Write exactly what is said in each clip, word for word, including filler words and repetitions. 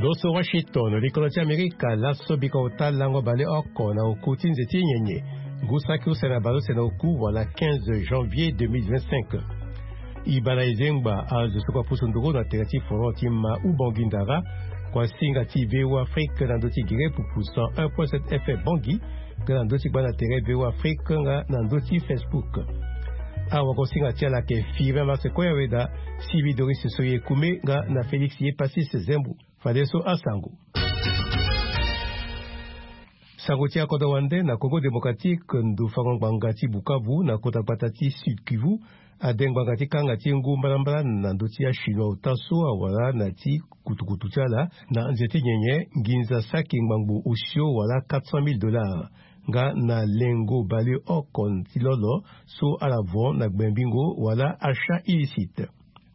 Oso Washington, likolo ti Amerika, laso bika ota lango baleoko na oku ti nze ti nyenye. Ngu saki use na baleuse na oku wala quinze janvier deux mille vingt-cinq. Ibana ezengba azo soko apusu nduru na tere ti forum ti ma Ubangui Ndara, kua singa ti V O A Afrique na ndö ti gere pupu cent un point sept F M Bangui, nga na ndö ti gbanda tere V O A Afrique nga na ndö ti Facebook. Awa ko singa ti ala ke Firmin Marsekoya Weda, Sylvie Doris Soye Kume nga na Félix Ye Passis Zembo. Fadeso asango. Sango ti akodro wande na Congo Démocratique, ndo fango ngbanga ti Bukavu na kota gbata ti Sud Kivu ade ngbanga ti kanga ti ngu mbalambala na ndö ti achinois ota so awara na ti kutukutu ti ala na nze ti nyenye nginza saki ngbangbo osio wala quatre cent mille dollars, nga na lengo baleoko ti lolo so ala vo na gbembingo wala achat illicite.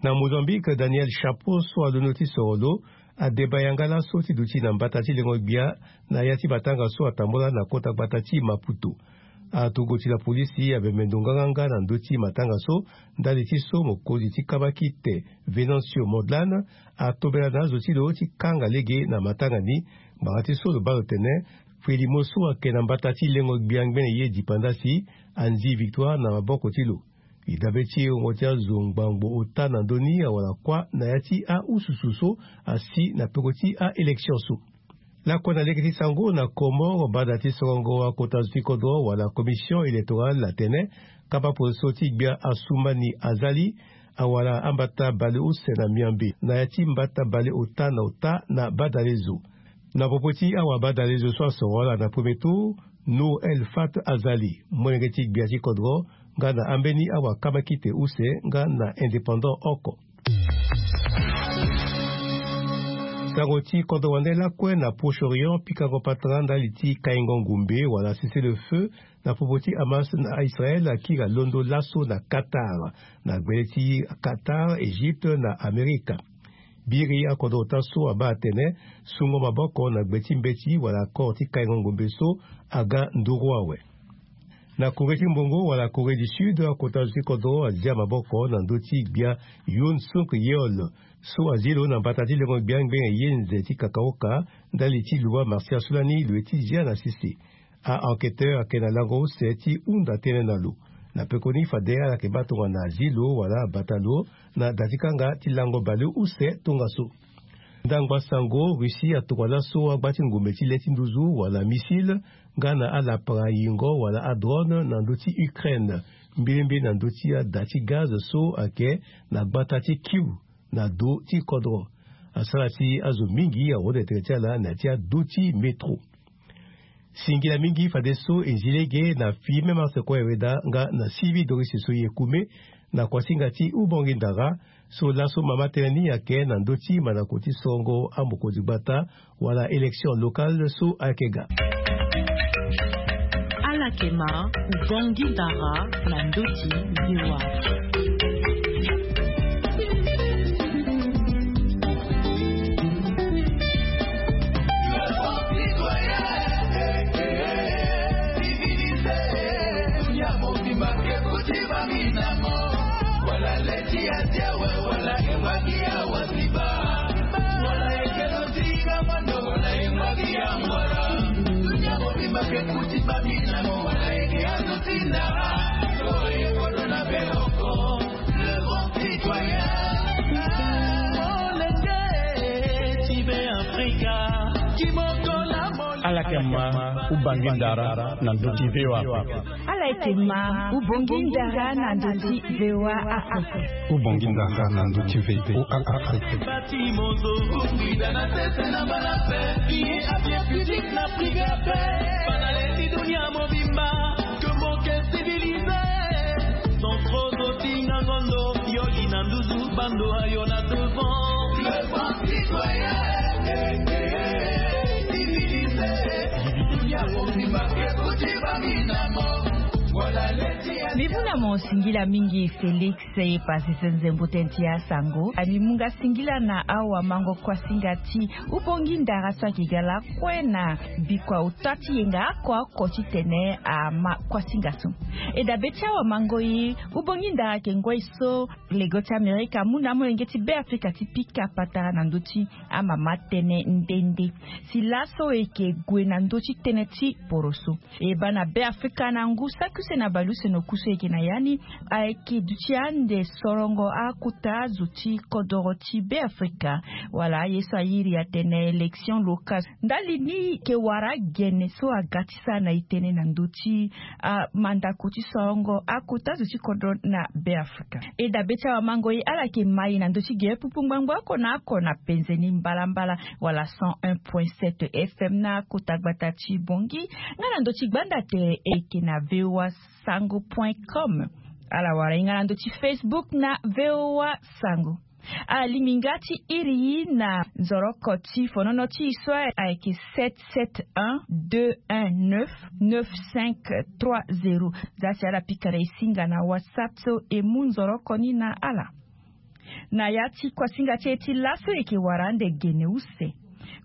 Na Mozambique, Daniel Chapo so alondo ti soro lo adeba yanga laso ti duti na mbata ti lengo gbia na ya ti matanga so atambula na kota gbata ti Maputo. Aturugu ti lapolisi abembe ndo nganganga na ndö ti matanga so, ndali ti so mokonzi ti kabakite Venancio Mondlane atobela na azo ti lo ti kanga lege na matanga ni. Ngbanga ti so lo baa lo tene frelimo so ayeke na mbata ti lengo gbia ngbene ye dipanda si anzi victoire na maboko ti lo. Lidabe ti e wungo ti azo ngbangbo ota na ndö ni awara kuâ na ya ti aususu so asi na peko ti aélection so. Lakue na lege ti sango na Comores, banda ti sorongo akota zo ti kodro wala commission électorale atene kapa poroso ti gbia Assoumani Azali awara ambata baleuse na miambe na ya ti mbata baleota na ota na badalezo. Na popo ti awabadalezo so asoro ala na premier tour, Nour El Fat Azali, molenge ti gbia ti kodro, nga na ambeni awakamakite use nga na indépendant oko. Sango ti kodro wande lakue na Proche-Orient, pikango patara ndali ti kaingo ngumbe wala cessez-le-feu na popo ti Hamas na Israël akiri alondo laso na Qatar, na gbele ti Qatar, Égypte na Amerika. Biri akodro ota so abaa atene sungo maboko na gbe ti mbeti wala accord ti kaingo ngumbe so aga nduru awe. Na Corée ti mbongo wala Corée du Sud, akota zo ti kodro azia maboko na ndö ti gbia Yoon Suk Yeol so azi lo na mbata ti lengo gbia ngbene ye nze ti kakaoka ndali ti lua martial so lani lo ye ti zia na sese. A-enquêteur ayeke na lango use ti hunda tënë na lo. Na pekoni fade ala yeke baa tongana azi lo wala abata lo na da ti kanga ti lango baleuse tongaso. Ndangba sango, Russie atokua laso agba ti ngumbe ti le ti nduzu wala missile nga na alapara yingo wala adrone na ndö ti Ukraine, mbilembe na ndö ti ada ti gaz so ayeke na gbata ti Kyiv na do ti kodro. Asara si azo mingi ahunda tere ti ala na ya ti ado ti métro. Singila mingi fadeso e zi lege na Firmin Marsekoya Weda nga na Sylvie Doris Soye Kume na kuasinga ti Ubangui Ndara so laso mama tënë ni ayeke na ndö ti mandako ti sorongo amokonzi gbata wala élection locale so ayeke ga. Ala yeke ma Ubangui Ndara na ndö ti V O A. Ala yeke ma Ubangui Ndara na ndö ti V O A Afrique. Ala yeke ma Ubangui Ndara na ndö ti V O A Afrique. Ubangui Ndara na ndö ti V O A Afrique. Mibu na Mo singila mingi Félix e pasi so nzembo tënë ti asango. Ani mu nga singila na awamango kuasinga ti ubongi ndara so ayeke ga lakue na bikua ota ti yenga oko oko titene ama kuasinga so. E dabe ti awamango e, ubongi ndara ayeke ngoi so lego ti Amerika amu na amolenge ti Beafrika ti pika patara na ndö ti amama tënë nde nde. Si laso e yeke gue na ndö ti tënë ti poroso. E baa na Beafrika na ngu saki use na baleuse na oku so e yeke na ya ni, ayeke duti ande sorongo akota azo ti kodoro ti Beafrika. Wala aye so airi atene élection locale. Ndali ni e yeke wara gene so aga ti sara na e tënë na ndö ti amandako ti sorongo akota azo ti kodro na Beafrika. E dabe ti awamango e, ala yeke ma e na ndö ti gere pupu ngbangbo oko na oko na penze ni mbalambala, wala cent un point sept F M na kota gbata ti Bangui, nga na ndö ti gbanda tere e yeke na V O A sango point com. Ala wara e nga na ndö ti Facebook na V O A sango. Alingbi nga ti iri e na nzoroko ti fonono ti e so ayeke sept sept un deux un neuf neuf cinq trois zéro. Za si ala pika na e singa na WhatsApp so e mu nzoroko ni na ala. Na ya ti kuasinga ti e ti laso e yeke wara ande gene use.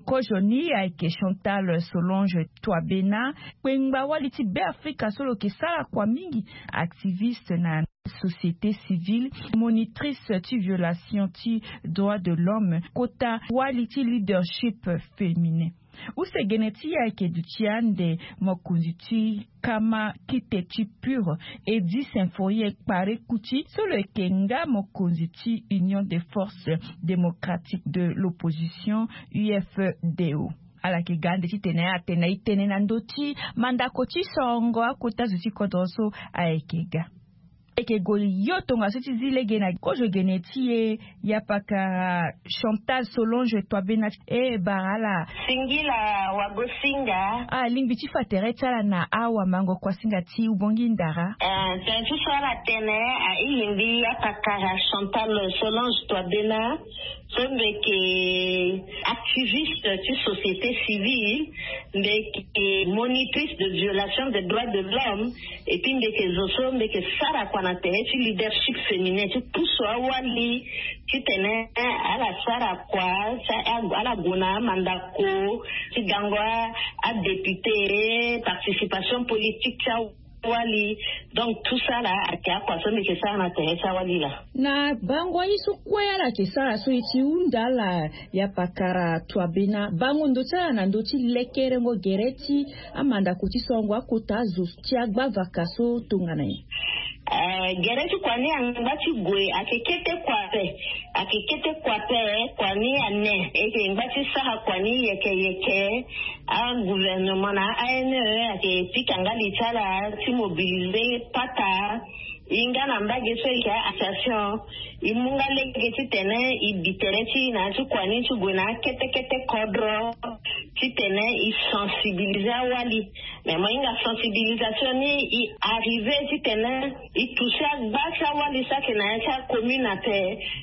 Kozo ni ayeke Chantal Solange Twabena, kpengba wali ti Beafrika so lo yeke sara kua mingi, activiste na société civile, monitrice ti violation ti droit de l'homme, kota wali ti leadership féminin. Use gene ti e ayeke duti ande mokonzi ti kama kite ti Pur, Eddy Symphorien Kpare Kuti so lo yeke nga mokonzi ti Union des Forces Démocratiques de l'Opposition, U F D O. Ala yeke ga ande titene atene e tene na ndö ti mandako ti sorongo akota zo ti kodro so ayeke ga. E yeke gue yo tongaso ti zi lege na kozo gene ti e, yapakara Chantal Solange Twabena, e bara ala. Singila wagosinga. Alingbi ti fa tere ti ala na awamango kuasinga ti ubongi ndara. Eh, tënë ti so ala tene, a, e lingbi yapakara Chantal Solange Twabena so mbi yeke activiste ti société civile, mbi yeke monitrice de violation des droits de l'homme, et puis mbi yeke zo so mbi yeke sara kua na tere ti leadership féminin ti pusu awali titene ala sara kua, ala gue na amandako ti gango adéputé, participation politique ti awali. Donc tout ça là ayeke akua so mbi yeke sara na tere ti awali laa. Na bango aye so kue ala yeke sara so e ti hunda ala, yapakara Twabena, bango ndo ti ala na ndö ti lekerengo gere ti amandako ti sorongo akota azo ti agbavaka so tongana nyen? Eh, gere ti kua ni angba ti gue, ayeke kete kua ape. Ayeke kete kua ape, kua ni ane. E yeke ngba ti sara kua ni yeke yeke. Agouvernement na A N E ayeke pika nga li ti ala ti mobiliser pata. E nga na mbage so e yeke association, e mu nga lege titene e bi tere ti e na ya ti kua ni ti gue na akete kete kodro titene e sensibiliser awali. Mais mo hinga sensibilisation ni e arriver titene e toucher agba ti awali so ayeke na ya ti acommune ape.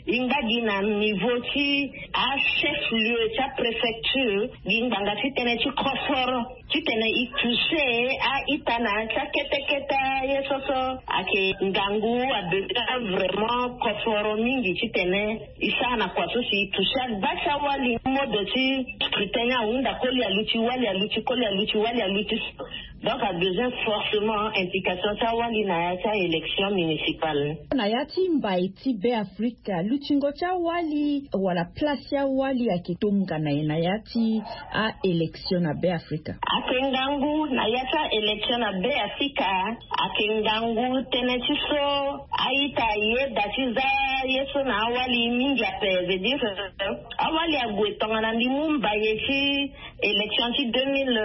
E ngba gi na niveau ti achef lieu ti apréfecture, gi ngbanga ti tënë ti koforo titene e toucher a-ita na ya ti akete kete aye so so ayeke ngangu, a besoin vraiment koforo mingi titene e sara na kua so si e toucher agba ti awali. Mode ti scrutin ni ahunda koli aluti, wali aluti, koli aluti, wali aluti. Donc a besoin forcément implication ti awali na ya ti a-élection municipale. Na ya ti mbai ti Beafrika, lutingo ti awali wala place ti awali ayeke tongana nyen na ya ti a-élection na Beafrika? Ayeke ngangu na ya ti a-élection na Beafrika. Ayeke ngangu tënë ti so a-ita ayeda ti za ye so na awali mingi ape, veut dire, euh, awali ague tongana mbi mu mbaye ti élection ti deux mille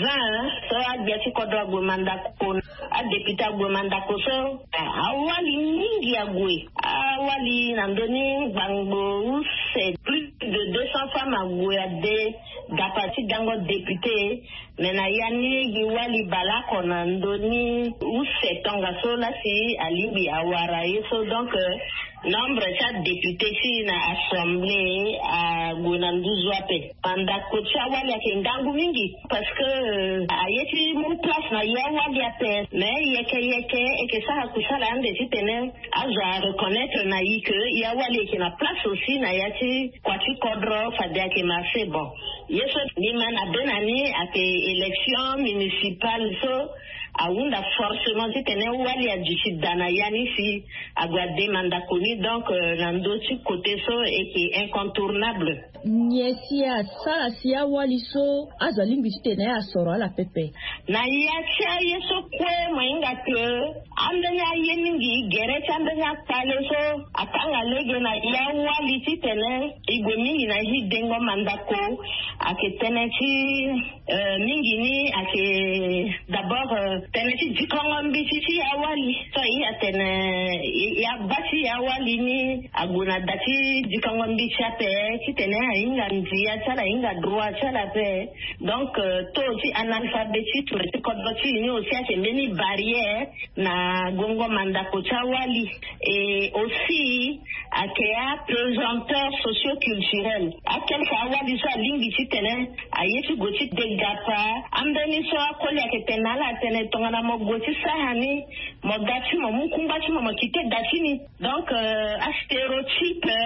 vingt so agbia ti kodro ague mandako, adéputé ague mandako so, eh, awali mingi ague. Awali na ndö ni gbangbo use plus de deux cents femmes ague ade dapa ti gango député. Mais na ya ni gi wali baleoko na ndö ni use tongaso la si alingbi awara ye so. Donc nombre ti adéputé ti na assemblée ague na nduzu ape. Mandako ti awali ayeke ngangu mingi parce que aye ti mu place na ya wali ape. Mais yeke yeke eke sara kusala ande titene azo areconnaitre na ye ke ya wali eke na place aussi na ya ti kua ti kodro fade ayeke marché. Bon, ye so ni ma na be na ni ayeke élection municipale so ahunda forcément titene wali aduti daa na ya ni si ague ade mandako ni. Donc na ndö ti côté so eke incontournable. Nyen si asara si awali so azo alingbi titene asoro ala pepe? Na ya ti aye so kue mo hinga ke ambeni aye mingi gere ti ambeni akpale so akanga lege na ya wali titene e gue mingi na ya ti dengo mandako ayeke tënë ti mingi ni ayeke d'abord tënë ti dikongo mbiti ti ya wali so aye atene ya baa ti ya wali ni ague na da ti dikongo mbiti ape titene ahinga ndia ti ala ahinga droit ti ala ape. Donc taux ti analphabétisme ti kodro ti e ni aussi ayeke mbeni barrière na gongo mandako ti awali. Et aussi ayeke apesanteur socio-culturel akelka awali so alingbi titene aye ti gue ti degapa ambeni so akoli ayeke tene na ala atene tongana mo gue ti sara ni mo ga ti mo mu kungba ti mo mo kite da ti ni. Donc astéréotype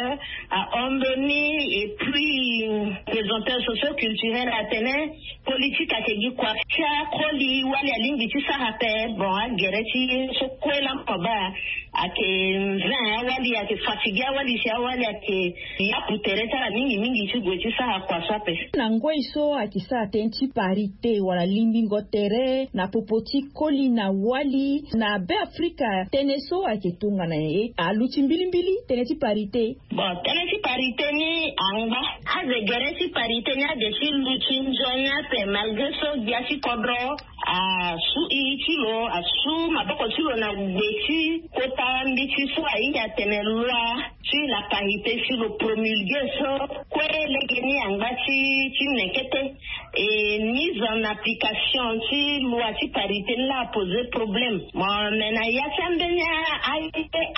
ahon mbeni. Et puis apesanteur socio-culturel atene politique ayeke gi kua ti akoli wali alingbi ti sara ape. Bon agere ti ye so kue laa mo baa ayeke nzin awali ayeke fatigué awali si awali ayeke yapu tere ti ala mingi mingi ti gue ti sara kua so ape. Na ngoi so ayeke sara tënë ti parité wala limbingo tere na popo ti koli na wali na be afrika tënë so ayeke tongana ye aluti mbilimbili tënë ti parité? Bon tënë ti parité ni angba. Aze gere ti parité ni ade ti luti nzoni ape malgré so gbia ti kodro asu i ti lo asu maboko ti lo na gbe ti kota mbiti so ahinga atene loi ti la parité si lo promulgué so kue lege ni angba ti ti nekete. Et mise en application ti loi ti parité ni la apose problème. Mo me na ya ti ambeni aye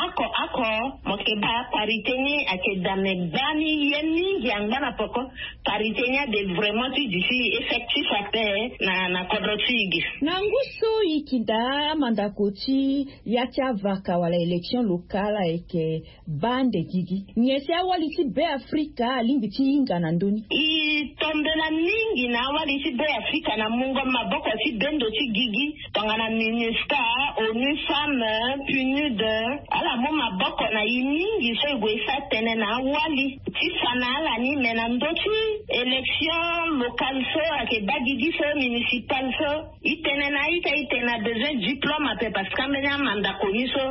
oko oko mo ke baa parité ni ayeke dame gbani ye mingi angba na poko. Parité ni ade vraiment ti duti effectif ape na na kodro ti e gi. Na ngu so e yeke daa amandako ti ya ti avaka wala élection locale ayeke baa ande gigi nyen si awali ti be afrika alingbi ti hinga na ndö ni? E tombela mingi na awali ti be afrika na mungo maboko ti bendo ti gigi tongana minusca, onu femme, punud, ala mu maboko na e mingi so e gue e sara tënë na awali ti fa na ala ni. Me na ndö ti élection locale so ayeke baa gigi so municipale so e tene na a-ita e tene abezoin diplôme ape parce que ambeni amandako ni so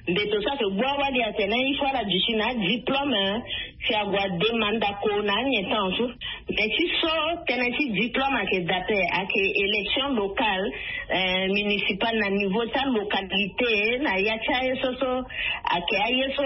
mbeto so ayeke gbu awali atene il faut ala duti na adiplôme si ague ade mandako na anyen temps so. Mais ti so tënë ti diplôme ayeke daa ape ayeke élection locale municipale na niveau ti alocalité na ya ti aye so so ayeke aye so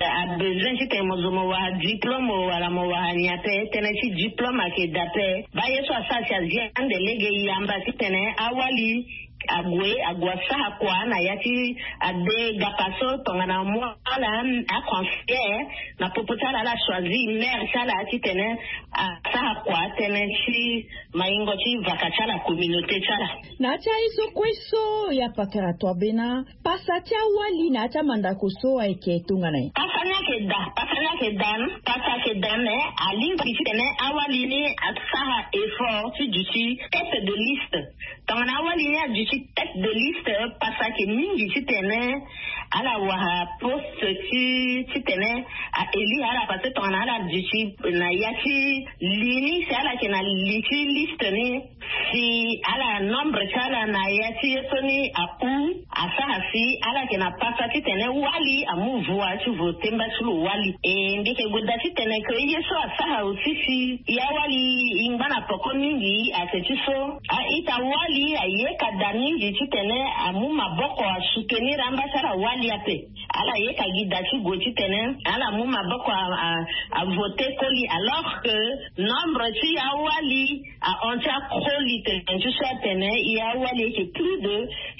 abezoin titene mo zo mo wara diplôme wala mo wara nyen ape. Tënë ti diplôme ayeke daa ape. Baa ye so asara si azi ande lege yamba titene awali ague ague asara kua na ya ti ade gapa so tongana mo ala aconseillère na popo ti ala ala choisir maire ti ala titene asara kua tënë ti maingo ti vaka ti ala communauté ti ala. Na ya ti aye so kue so ya pakara toa be na pasa ti awali na ya ti amandako so ayeke tongana nyen? Pasa ni ayeke daa pasa ni ayeke daa pasa ayeke daa me alingbi titene awali ni asara effort ti duti tête de liste. Tongana awali ni aduti tête de liste pasa ayeke mingi titene ala wara poste ti titene a élire ala parce que tongana ala duti na ya ti li ni si ala yeke na li ti liste ni si ala nombre ti ala na ya ti ye so ni ahu asara si ala yeke na pasa titene wali amu voix ti vote mba ti lo wali. E mbi yeke gue daa titene ke ye so asara aussi si ya wali e ngba na poko mingi ayeke ti so a-ita wali ayeka daa mingi titene amu maboko asoutenir amba ti ala wali ape. Ala yeke gi da ti gue titene ala mu maboko a, a, a voter koli, alors que nombre ti awali ahon ti akoli tene ti so atene e awali ayeke plus de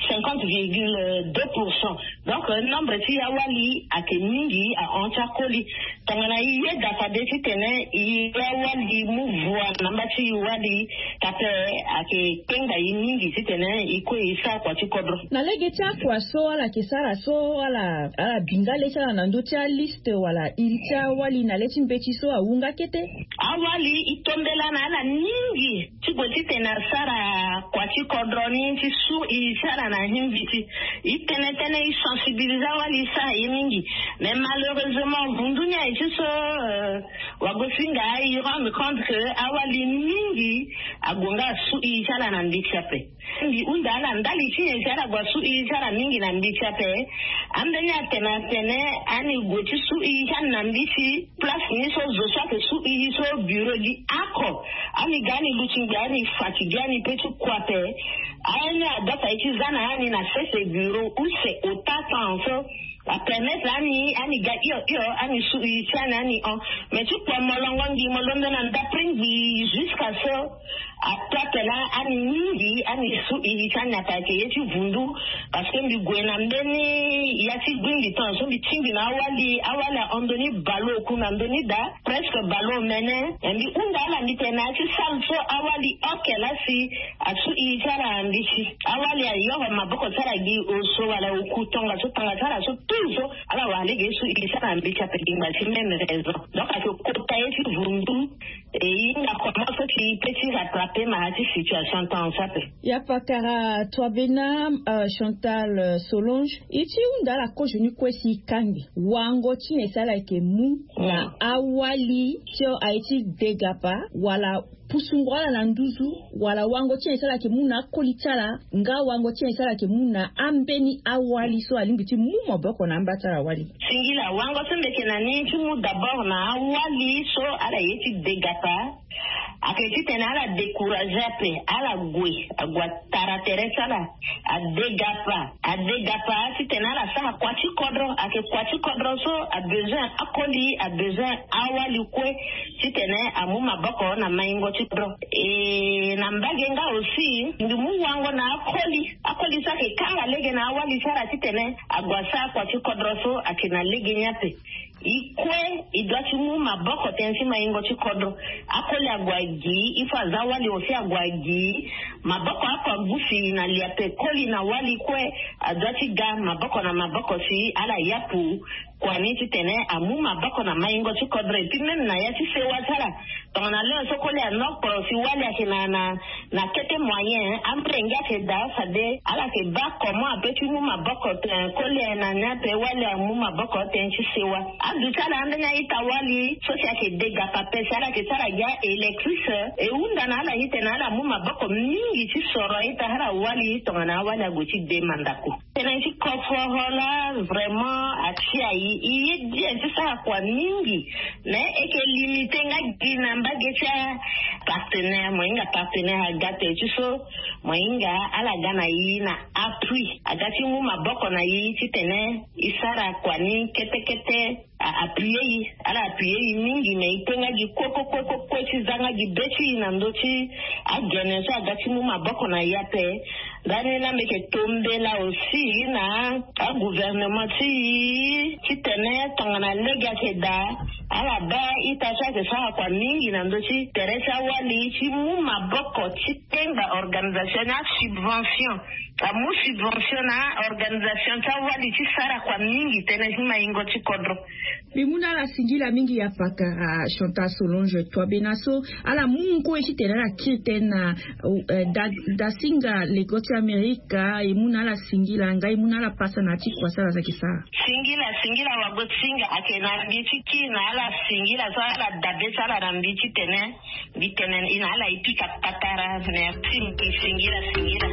cinquante virgule deux pour cent. Donc, euh, nombre ti awali ayeke mingi ahon ti akoli. Tongana e yeda fade titene e awali mu voix na mba ti e wali, ka ape ayeke kpenga e mingi titene e kue e sara kua ti kodro. Na lege ti akua so ala yeke sara so, ala, ala bi nga le ti ala na ndö ti aliste wala iri ti awali na le ti mbeti so awu nga kete? Awali e tombela na ala mingi ti gue titene asara kua ti kodro ni ti su e ti ala na hi mbeti. E tene tënë e sensibiliser awali e sara ye mingi. Mais malheureusement vundu ni aye ti so, euh, wagosinga e rendre compte que awali mingi ague nga asu e ti ala na mbeti ape. Mbi hunda ala ndali ti nyen si ala gue asu e ti ala mingi na mbeti ape. Ambeni atene atene ani gue ti su e ti ani na mbeti, place ni so zo so ayeke su e so bureau gi oko. Ani ga ani luti ngbi, ani fatigué, ani pe ti kua ape. Ani adota ye ti za na ani na sese bureau use ota temps so apermettre ani, ani ga hio hio, ani su e ti ani, ani hon. Mais ti kua molongo ngbi mo londo na ndapre ngbi jusqu'à so ato ape laa ani mingi ani su e ti ani ape ayeke ye ti vundu. Parce que mbi gue na mbeni ya ti gbingbi temps so mbi tingbi na awali, awali ahon ndoni ballon oku na ndoni da, presque ballon omene. E mbi hunda ala mbi tene na ya ti salle so awali oke laa si asu e ti ala na mbeti. Awali ayoro maboko ti ala gi oso wala oku tongaso, tanga ti ala so tout so ala wara lege su e ti ala na mbeti ape gi ngba ti même raison. Donc ayeke kota ye ti vundu. E hinga comment so ti pe ti rattraper mara ti situation temps so ape. Ya pakara Toibena, euh, Chantal, euh, Solange, e ti hunda ala kozo ni kue si e kangbi wango ti nyen si ala yeke mu na awali ti aye ti degapa wala pusungo ala na nduzu, wala wango ti nyen si ala yeke mu na akoli ti ala, nga wango ti nyen si ala yeke mu na ambeni awali so alingbi ti mu maboko na amba ti ala wali? Singila, wango so mbi yeke na ni ti mu d'abord na awali so ala ye ti degapa, ayeke titene ala décourager ape, ala gue, ague atara tere ti ala, adegapa, adegapa titene ala sara kua ti kodro. Ayeke kua ti kodro so abezoin akoli, abezoin awali kue titene amu maboko na maingo ti kodro. E na mbage nga aussi mbi mu wango na akoli, akoli so ayeke kanga lege na awali ti ala titene ague asara kua ti kodro so ayeke na lege ni ape. E kue e doit ti mu maboko tënë ti maingo ti kodro. Akoli ague agi, il faut aza wali aussi ague agi. Maboko oko agusi na li ape, koli na wali kue adoit ti ga maboko na maboko si ala yapu kua ni titene amu maboko na maingo ti kodro. Et puis même na ya ti sewa ti ala, tongana leo so koli anokporo si wali ayeke na, na, na kete moyen, amolenge ayeke daa fade ala yeke baa comment ape ti mu maboko tene koli aye na ni ape, wali amu maboko tënë ti sewa. Aduti ala ambeni a-ita wali so si ayeke degapa ape si ala yeke sara gi a-électrice. E hunda na ala ni tene ala mu maboko mingi ti soro a-ita ti ala wali tongana awali ague ti de mandako. Tënë ti koforo laa vraiment atia e, e ye bien ti sara kua mingi. Mais e yeke limité nga gi na mbage ti apartenaire. Mo hinga partenaire aga tere ti so, mo hinga ala ga na e na appui, aga ti mu maboko na e titene e sara kua ni kete kete. A appuyer e, ala appuyer e mingi, mais e te nga gi kue kue kue kue kue ti za nga gi be ti e na ndö ti agene so aga ti mu maboko na e ape. Ndani laa mbi yeke tombela aussi na agouvernement ti e titene tongana lege ayeke daa, ala baa a-ita so ayeke sara kua mingi na ndö ti tere ti awali ti mu maboko ti tenga organisation ni, asubvention, amu subvention na organisation ti awali ti sara kua mingi tënë ti maingo ti kodro. Mbi mu na ala singila mingi ya pakara Chantal Solange Toibena so ala mu ngoi titene ala kiri tënë na, eh, da, dasinga lego ti Amerika. E mu na ala singila nga e mu na ala pasa na ya ti kua so ala yeke sara. Singila, singila wagosinga ayeke na mbi ti kiri na ala singila so ala dabe ti ala na mbi titene mbi tene e na ala e pika patara. Merci, mbi singila, singila.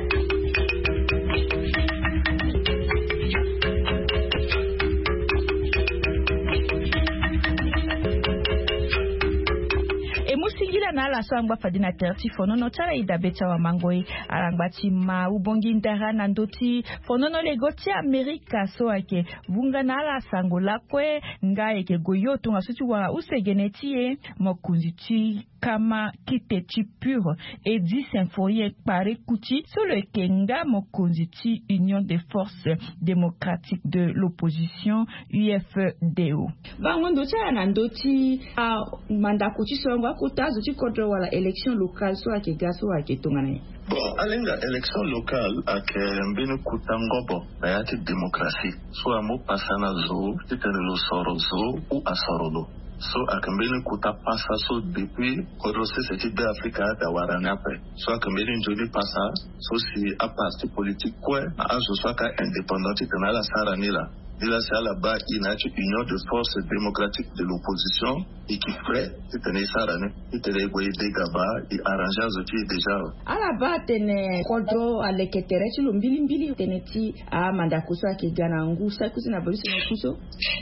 E mu singila na ala So angba fade na tere ti fonono ti ala e dabe ti awamango e. Ala ngba ti ma ubongi ndara na ndö ti fonono lego ti amerika so ayeke vunga na ala sango lakue. Nga ayeke goyo tongaso ti wara use gene ti e mokonzi ti kama kite ti pure edi symphorien kpare kuti so lo yeke nga mokonzi ti union des forces démocratiques de l'opposition, ufdo. Bango ndo ti ala na ndö ti amandako ti sorongo akota azo ti kodro wala élection locale so ayeke ga so ayeke tongana nyen? Bon, alinga élection locale ayeke mbeni kota ngobo na ya ti démocratie so amu pasa na zo titene lo soro zo ou asoro lo. So ayeke mbeni kota pasa so depuis kodro sese ti be afrika ada wara ni ape. So ayeke mbeni nzoni pasa so si aparti politique kue na azo so ayeke indépendant titene ala sara ni laa. Ni laa si ala baa i na ya ti union de force démocratique de l'opposition i ki frais titene i sara ni titene i gue i dégaba i arranger azo ti i déjà. Ala baa atene kodro aleke tere ti lo mbilimbili tene ti amandako so ayeke ga na ngu saki use na baleuse na ku so.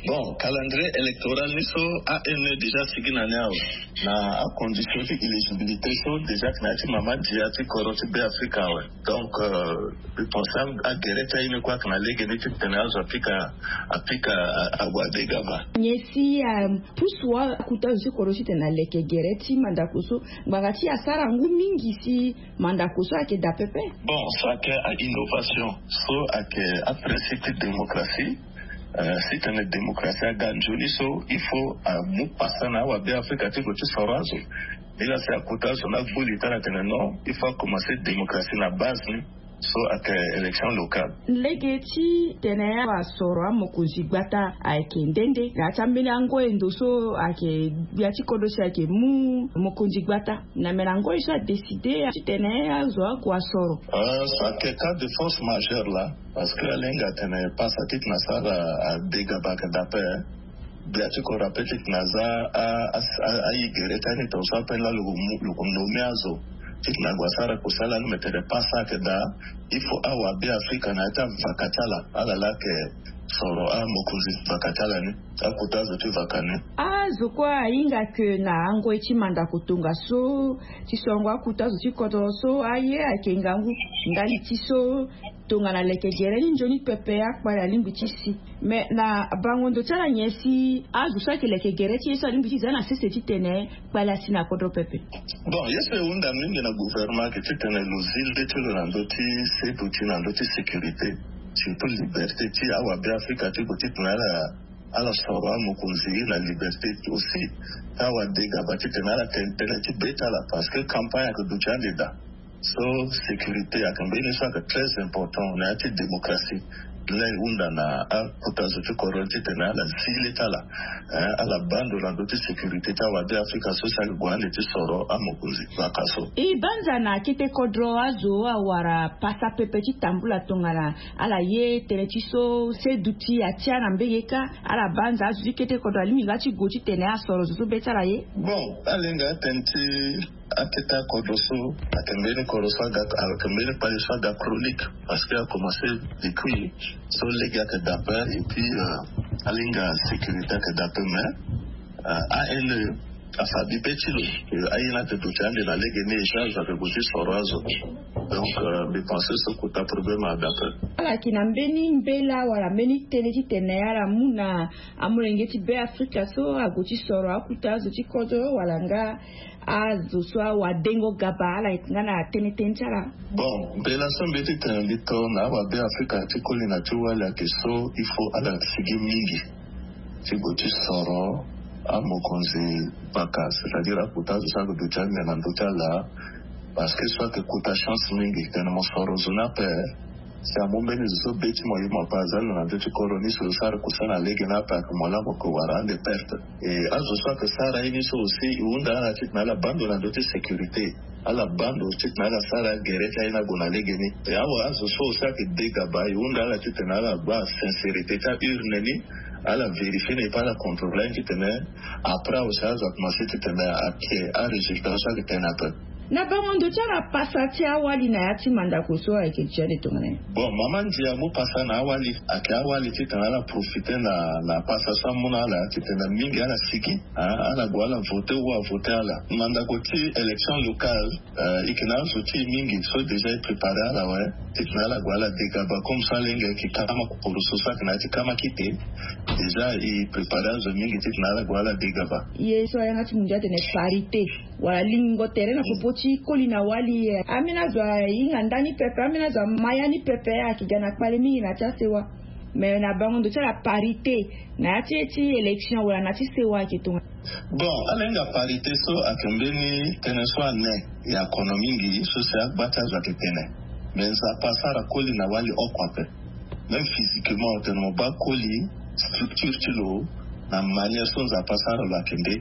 Bon, calendrier électoral ni so a ene déjà sigi na ni awe na acondition ti éligibilité so déjà na ya ti mama dia ti kodro ti be afrika awe. Donc je pense agere ti aye ni kue ayeke na lege ni titene azo apika apika ague adégaba. Nyen si apusu akota zo ti kodro titene aleke gere ti mandako so ngbanga ti asara ngu mingi si mandako so ayeke daa pepe? Bon, so ayeke ainnovation so ayeke aprincipe ti démocratie. Si tene démocratie aga nzoni so il faut amu pasa na awabe afrika ti gue ti soro azo. Ni laa si akota azo ni agbu li ti ala tene non, il faut akomanse démocratie na base ni. So ayeke élection locale. Lege ti tene asoro amokonzi gbata ayeke nde nde na ya ti ambeni ango endo so ayeke gbia ti kodro si ayeke mu mokonzi gbata na me na ngoi so adécide titene azo ague asoro. So ayeke cas de force majeure laa. Parce que alinga atene pasa titene asara adégaba ayeke daa ape. Gbia ti kodro ape titene aza ayi gere ti ani tongaso ape laa lo ko nommé azo titene ague asara kosala ni me tene pasa ayeke daa. Il faut awabe afrika na ya ti avaka ti ala ala laa ayeke soro amokonzi vaka ti ala ni. Akota azo ti vaka ni. Azo kue ahinga ke na angoi ti mandako tongaso ti sorongo akota azo ti kodro so aye ayeke ngangu ndali ti so tongana leke gere ni nzoni pepe akpale alingbi ti si. Me na bango ndo ti ala nyen si azo so ayeke leke gere ti ye so alingbi ti za na sese titene kpale asi na kodro pepe? Bon, ye so e hunda mingi na gouvernement ayeke titene lo zi le ti lo na ndö ti seduti na ndö ti sécurité, surtout liberté ti awabe afrika ti gue titene ala ala soro amokonzi na liberté aussi. Ti awadegaba titene ala tene tënë ti be ti ala parce que campagne ayeke duti ande daa. So sécurité ayeke mbeni so ayeke très important na ya ti démocratie. Laa e hunda na akota zo ti kodro ni titene ala zi le ti ala, ala baa ndo na ndö ti sécurité ti awabe afrika so si ayeke gue ande ti soro amokonzi vaka so. E banza na kete kodro azo awara pasa pepe ti tambula tongana ala ye tënë ti so seduti atia na mbege kâ. Ala banza azo ti kete kodro alingbi nga ti gue titene asoro zo so be ti ala ye. Bon, alinga atene ti akete akodro so ayeke mbeni kodro so aga ayeke mbeni kpale so aga chronique parce que akomanse depuis so lege ayeke dape et puis alinga sécurité ayeke dape mais ane afa bibe ti lo. Aye ni ayeke duti ande na lege ni echange ayeke gue ti soro azo. Donc mbi pense so kota problème adape. Ala yeke na mbeni mbela wala mbeni tënë titene ala mu na amolenge ti be afrika so ague ti soro akuta azo ti kodro wala nga azo so awadengo gaba ala yeke nga na tënë tënë ti ala. Bon, mbela so mbi ye titene mbi to na awabe afrika ti koli na ti wali ayeke so il faut ala sigi mingi ti gue ti soro amokonzi baka c'est-à-dire akuta azo so ayeke duti ande na ndö ti ala. Parce que so ayeke kota chance mingi tene mo soro zo ni ape. Si amu mbeni zo so be ti mo ye mo ape aza lo na ndö ti kodro ni so lo sara kosala na lege ni ape ayeke mo laa mo yeke wara ande perte. E azo so ayeke sara ye ni so aussi e hunda ala titene ala baa ndo na ndö ti sécurité. Ala baa ndo titene ala sara gere ti aye ni ague na lege ni. E awa azo so aussi ayeke de gaba e hunda ala titene ala gba sincérité ti aurne ni. Ala vérifier ni et puis ala contrôler ni titene après awe si azo akomanse titene ake arésultat so ayeke tene ape. Na bango ndo ti ala pasa ti awali na ya ti mandako so ayeke dia de tongana ye. Bon, mama ndia mu pasa na awali. Ayeke awali titene ala profite na na pasa so amu na ala titene mingi ala sigi. Ala gue ala vote ou avote ala mandako ti élection locale. Eke na azo ti e mingi so déjà e prépare ala awe. Titene ala gue ala degaba comme so alenge ayeke kama koroso so ayeke na ya ti kama kite. Déjà e prépare azo mingi titene ala gue ala degaba. Ye so ayanga ti mundia atene parité wala lingo tere na popo ti koli na wali. Ambeni azo ahinga ndani pepe, ambeni azo ama ya ni pepe, ayeke ga na kpale mingi na ya ti asewa. Mais na bango ndo ti ala parité na ya ti e ti élection wala na ya ti sewa ayeke tongana? Bon, ala hinga parité so ayeke mbeni tënë so ane ya kono mingi so si agba ti azo ayeke tene. Mais nzapa asara koli na wali oko ape. Même physiquement otene mo baa koli, structure ti lo na manière so nzapa asara lo ayeke nde.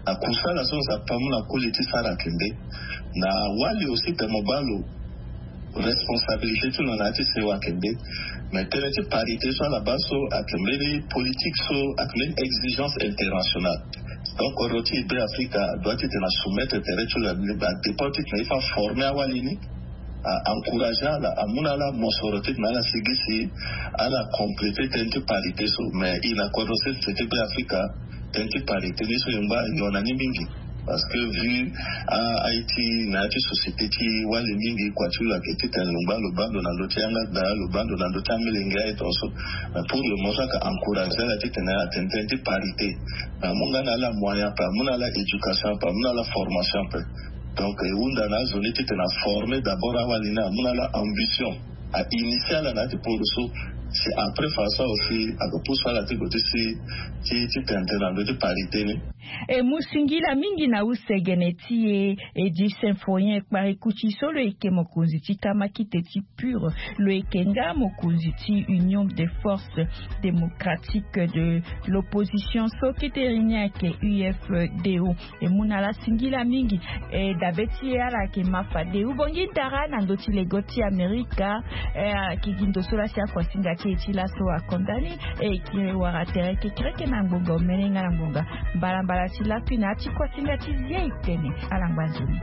Na kusala so nzapa amu na koli ti sara ayeke nde. Na wali aussi tene mo baa lo responsabilité ti lo na ya ti sewa ayeke nde. Mais tënë ti parité so ala baa so ayeke mbeni politique so ayeke mbeni exigence internationale. Donc kodro ti e be afrika adoit titene asoumettre tere ti lo na adépend titene e fa former awali ni, a encourager ala, amu na ala mosoro titene ala sigi si ala compléter tënë ti parité so. Mais e na kodro sese ti be afrika tënë ti parité ni so e ngba e yona ni mingi. Parce que vu a aiti na ya ti société ti wali mingi kua ti lo ayeke titene lo ngba lo baa ndo na ndö ti yanga daa lo baa ndo na ndö ti amelenge aye tongaso. Mais pour le moment so ayeke encourager ala titene atene tënë ti parité. Mais amu nga na ala moyen ape, amu na ala éducation ape, amu na ala formation ape. Donc e hunda na azo ni titene aformer d'abord awali ni, amu na ala ambition, a initier ala na ya ti poro so. Si après façon aussi ake pousse ala ti gue ti si ti ti tene tënë na ndö ti parité ni. E mu singila mingi na use gene ti e. E di symphorien kpari kuti so lo yeke mokonzi ti kamakite ti pure, lo yeke nga mokonzi ti union des forces démocratiques de l'opposition so kete rini ayeke ufdo. E mu na ala singila mingi. E dabe ti e ala yeke ma fade ubongi dara na ndö ti lego ti amerika. E ayeke gi ndo so lasi akuasinga ti e ti laso akonda ni. E yeke wara tere kekereke na ngbonga omene nga na ngbonga mbalambala ti lakui na ya ti kuasinga ti zie itene. Ala ngba nzoni.